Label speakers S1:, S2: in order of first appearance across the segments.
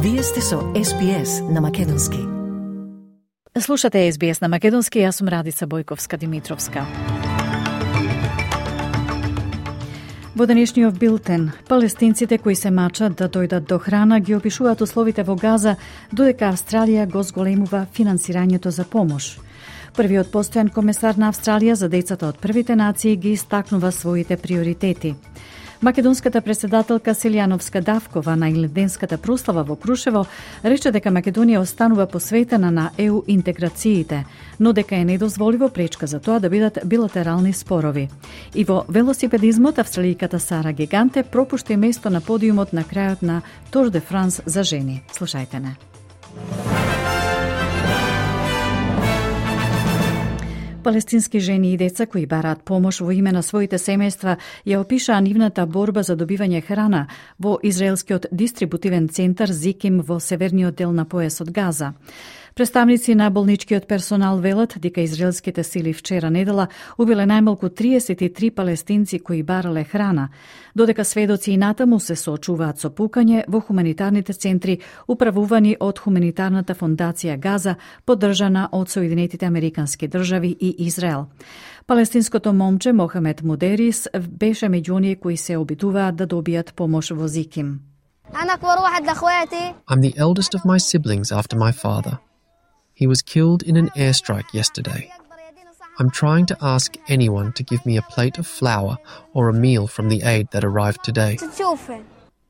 S1: Вие сте со SBS на македонски.
S2: Слушате SBS на македонски, јас сум Радица Бојковска-Димитровска. Во денешниот билтен, палестинците кои се мачат да дојдат до храна ги опишуваат условите во Газа, додека Австралија го зголемува финансирањето за помош. Првиот постојан комесар на Австралија за децата од првите нации ги истакнува своите приоритети. Македонската председателка Селјановска Давкова на илденската прослава во Крушево рече дека Македонија останува посветена на ЕУ интеграциите, но дека е недозволиво пречка за тоа да бидат билатерални спорови. И во велосипедизмот австралијката Сара Гиганте пропушти место на подиумот на крајот на Тур де Франс за жени. Слушајте не. Палестински жени и деца кои бараат помош во име на своите семејства ја опишаа нивната борба за добивање храна во израелскиот дистрибутивен центар Зиким во северниот дел на појасот Газа. Представници на болничкиот персонал велат дека израелските сили вчера недела убиле најмалку 33 палестинци кои барале храна, додека сведоци и натаму се соочуваат со пукање во хуманитарните центри управувани од Хуманитарната фондација Газа, поддржана од Соединетите Американски држави и Израел. Палестинското момче Мохамед Мудерис беше меѓу оние кои се обидуваат да добијат помош во Зиким.
S3: I'm the eldest of my siblings after my father. He was killed in an airstrike yesterday. I'm trying to ask anyone to give me a plate of flour or a meal from the aid that arrived today.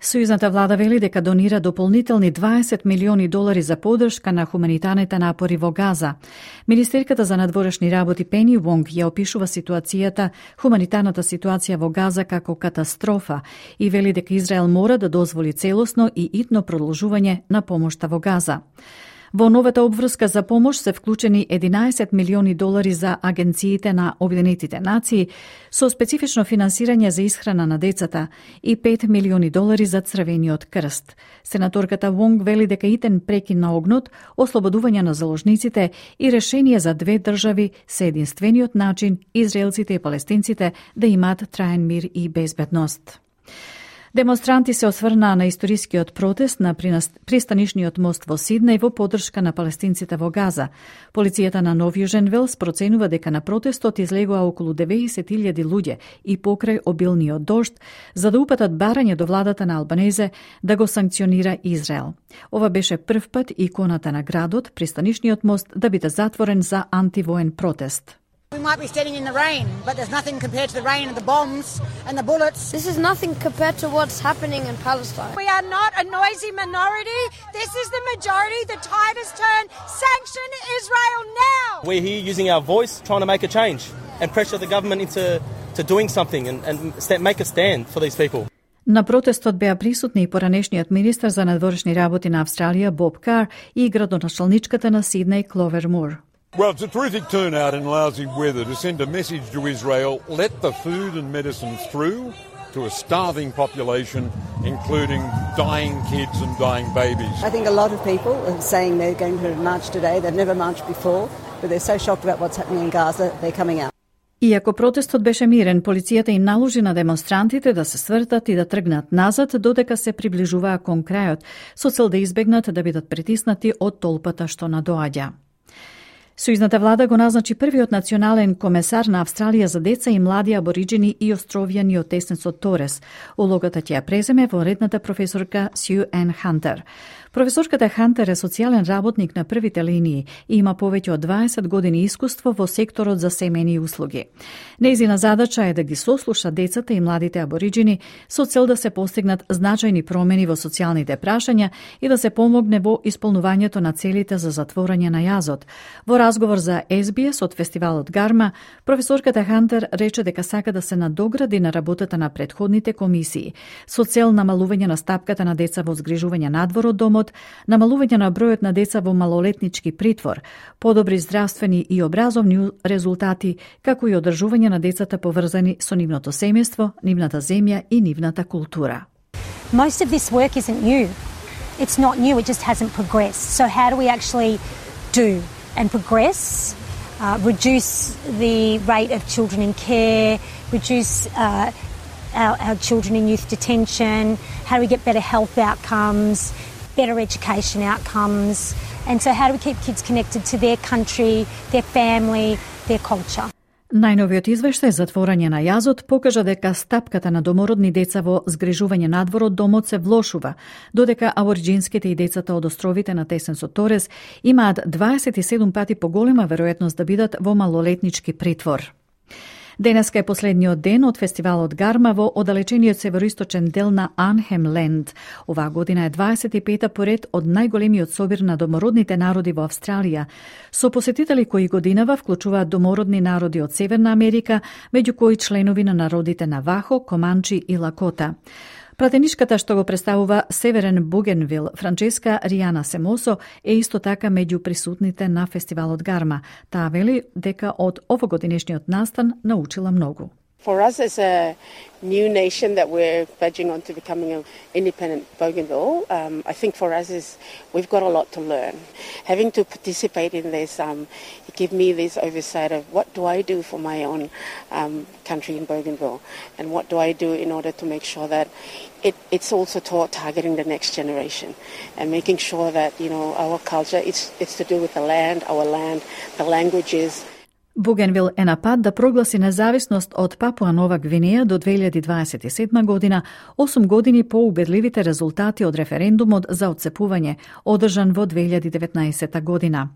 S2: Сојузната влада вели дека донира дополнителни $20 милиони за поддршка на хуманитарните напори во Газа. Министерката за надворешни работи Пени Вонг ја опишува хуманитарната ситуација во Газа како катастрофа и вели дека Израел мора да дозволи целосно и итно продолжување на помошта во Газа. Во новата обврска за помош се вклучени $11 милиони за агенциите на Обединетите нации со специфично финансирање за исхрана на децата и $5 милиони за Црвениот крст. Сенаторката Вонг вели дека итен прекин на огнот, ослободување на заложниците и решение за две држави се единствениот начин израелците и палестинците да имаат траен мир и безбедност. Демонстранти се осврнаа на историскиот протест на пристанишниот мост во Сиднеј во поддршка на палестинците во Газа. Полицијата на Нов Јужен Велс проценува дека на протестот излегоа околу 90.000 луѓе и покрај обилниот дожд, за да упатат барање до владата на Албанезе да го санкционира Израел. Ова беше прв пат иконата на градот, пристанишниот мост, да биде затворен за антивоен протест.
S4: We might be standing in the rain, but there's nothing compared to the rain and the bombs and the bullets.
S5: This is nothing compared to what's happening in Palestine.
S4: We are not a noisy minority. This is the majority. The tide has turned. Sanction Israel now.
S6: We're here using our voice, trying to make a change and pressure the government into doing something and make a stand for these people.
S2: На протестот беа присутни и поранешниот министер за надворешни работи на Австралија Боб Кар и градоначалничката на Сиднеј Кловер Мур.
S7: Well, it's a terrific turnout in lousy weather to send a message to Israel, let the food and medicine through to a starving population, including dying kids and dying babies.
S8: I think a lot of people are saying they're going to march today. They've never marched before, but they're so shocked about what's happening in Gaza, they're coming out.
S2: Иако протестот беше мирен, полицијата им наложи на демонстрантите да се свртат и да тргнат назад додека се приближуваа кон крајот, со цел да избегнат да бидат притиснати од толпата што надоаѓа. Сојузната влада го назначи првиот национален комесар на Австралија за деца и млади абориџини и островјани од Теснесот Торес. Улогата ќе ја преземе вонредната професорка Сју Ен Хантер. Професорката Хантер е социјален работник на првите линии и има повеќе од 20 години искуство во секторот за семејни услуги. Нејзина задача е да ги сослуша децата и младите абориџини со цел да се постигнат значајни промени во социјалните прашања и да се помогне во исполнувањето на целите за затворање на јазот. Во разговор за SBS од фестивалот Гарма, професорката Хантер рече дека сака да се надогради на работата на претходните комисии со цел намалување на стапката на деца во згрижување надвор од домот, намалување на бројот на деца во малолетнички притвор, подобри здравствени и образовни резултати, како и одржување на децата поврзани со нивното семејство, нивната земја и нивната култура.
S9: Most of this work isn't new. It's not new, it just hasn't progressed. So how do we actually do and progress, reduce the rate of children in care, reduce our children in youth detention, how do we get better health outcomes, better education outcomes. And so how do we keep kids connected to their country, their family, their culture?
S2: Најновиот извештај за отворање на јазот покажа дека стапката на домородни деца во згрижување надвор од домот се влошува, додека абориџинските и децата од островите на тесен со Торес имаат 27 пати поголема веројатност да бидат во малолетнички притвор. Денеска е последниот ден од фестивалот Гарма во оддалечениот североисточен дел на Арнхем Ленд. Оваа година е 25-та поред од најголемиот собир на домородните народи во Австралија, со посетители кои годинава вклучуваат домородни народи од Северна Америка, меѓу кои членови на народите Навахо, Команчи и Лакота. Пратеничката што го представува Северен Бугенвил, Франческа Ријана Семосо, е исто така меѓу присутните на фестивалот Гарма. Таа вели дека од овогодинешниот настан научила многу.
S10: For us as a new nation that we're verging on to becoming an independent Bougainville, I think for us is we've got a lot to learn. Having to participate in this, give me this oversight of what do I do for my own country in Bougainville, and what do I do in order to make sure that it's also targeting the next generation and making sure that our culture it's to do with the land, the languages.
S2: Бугенвил е на пат да прогласи независност од Папуа Нова Гвинеја до 2027 година, 8 години по убедливите резултати од референдумот за отцепување, одржан во 2019 година.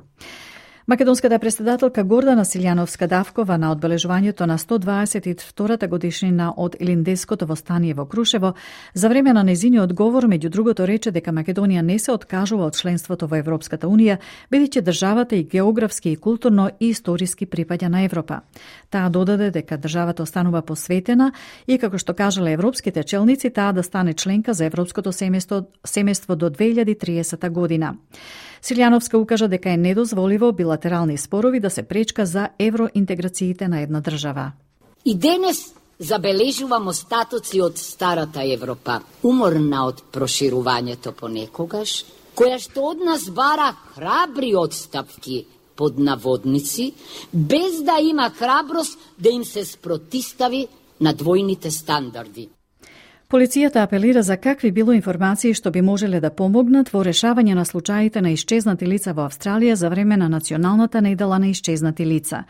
S2: Македонската председателка Гордана Силјановска-Давкова на одбележувањето на 122-та годишнина од Илиндеското востание во Крушево, за време на незиниот говор, меѓу другото рече дека Македонија не се откажува од членството во Европската Унија, бидејќи државата и географски и културно и историски припаѓа на Европа. Таа додаде дека државата останува посветена и, како што кажале европските челници, таа да стане членка за Европското семејство до 2030 година. Силјановска укажа дека е недозволиво билатерални спорови да се пречка за евроинтеграциите на една држава.
S11: И денес забележуваме остатоци од старата Европа, уморна од проширувањето понекогаш, која што од нас бара храбри одстапки под наводници, без да има храброст да им се спротистави на двојните стандарди.
S2: Полицијата апелира за какви било информации што би можеле да помогнат во решавање на случаите на исчезнати лица во Австралија за време на Националната недела на исчезнати лица.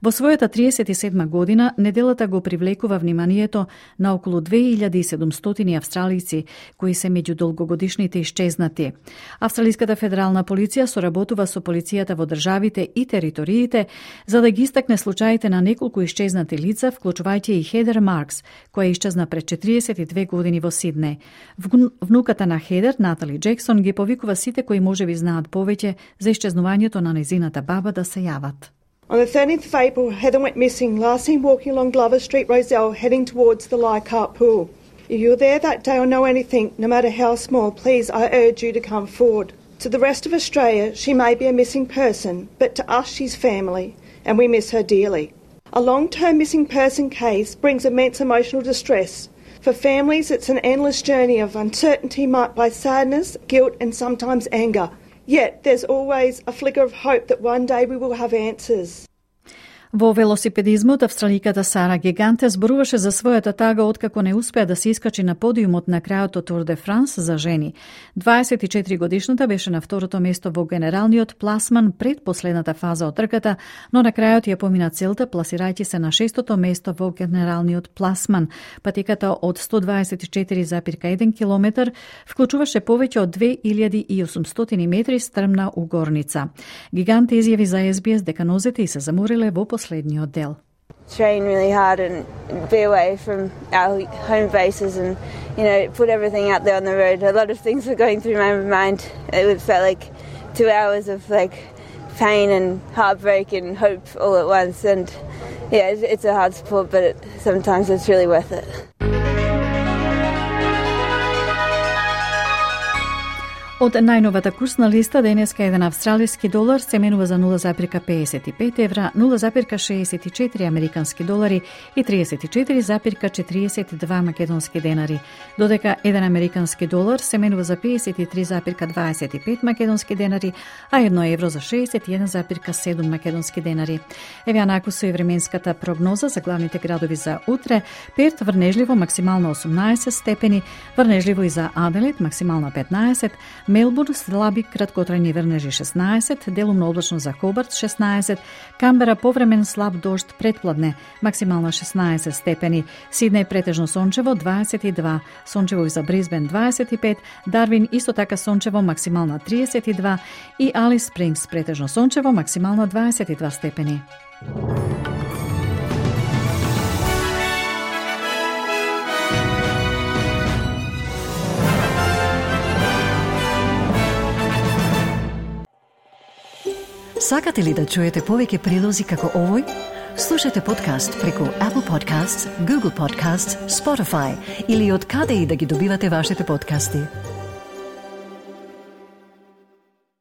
S2: Во својата 37 година, неделата го привлекува вниманието на околу 2700 австралици, кои се меѓу долгогодишните исчезнати. Австралиската федерална полиција соработува со полицијата во државите и териториите за да ги истакне случаите на неколку исчезнати лица, вклучувајќи и Хедер Маркс, која исчезна пред 42 години во Сиднеј. Внуката на Хедер, Натали Джексон, ги повикува сите кои можеби знаат повеќе за исчезнувањето на незината баба да се јават.
S12: On the 13th of April, Heather went missing, last seen walking along Glover Street, Rozelle, heading towards the Leichhardt Pool. If you're there that day or know anything, no matter how small, please, I urge you to come forward. To the rest of Australia, she may be a missing person, but to us, she's family, and we miss her dearly. A long-term missing person case brings immense emotional distress. For families, it's an endless journey of uncertainty marked by sadness, guilt, and sometimes anger. Yet, there's always a flicker of hope that one day we will have answers.
S2: Во велосипедизмот, австраликата Сара Гиганте зборуваше за својата тага откако не успеа да се искачи на подиумот на крајот од Тур де Франс за жени. 24 годишната беше на второто место во генералниот пласман пред последната фаза од трката, но на крајот ја помина целта, пласирајќи се на 6-то место во генералниот пласман. Патеката од 124,1 километар вклучуваше повеќе од 2800 метри стрмна угорница. Гиганте изјави за SBS дека нозете и се замориле во последниот дел.
S13: Train really hard and be away from our home bases and, put everything out there on the road. A lot of things were going through my mind. It felt like 2 hours of pain and heartbreak and hope all at once. And it's a hard sport, but sometimes it's really worth it.
S2: Од најновата курсна листа денеска еден австралиски долар се менува за 0,55 евра, 0,64 американски долари и 34,42 македонски денари, додека еден американски долар се менува за 53,25 македонски денари, а 1 евро за 61,7 македонски денари. Еве анаку со и временската прогноза за главните градови за утре: Перт врнежливо максимално 18 степени, врнежливо и за Аделаид максимално 15, Мелбурн слаби краткотрајни врнежи 16, делумно облачно за Хобарт 16, Камбера повремен слаб дожд предпладне, максимална 16 степени, Сиднеј претежно сончево 22, сончево и за Брисбен 25, Дарвин исто така сончево, максимална 32 и Алис Спрингс претежно сончево, максимална 22 степени.
S1: Сакате ли да чуете повеќе прилози како овој? Слушате подкаст преку Apple Podcasts, Google Podcasts, Spotify или од каде и да ги добивате вашите подкасти.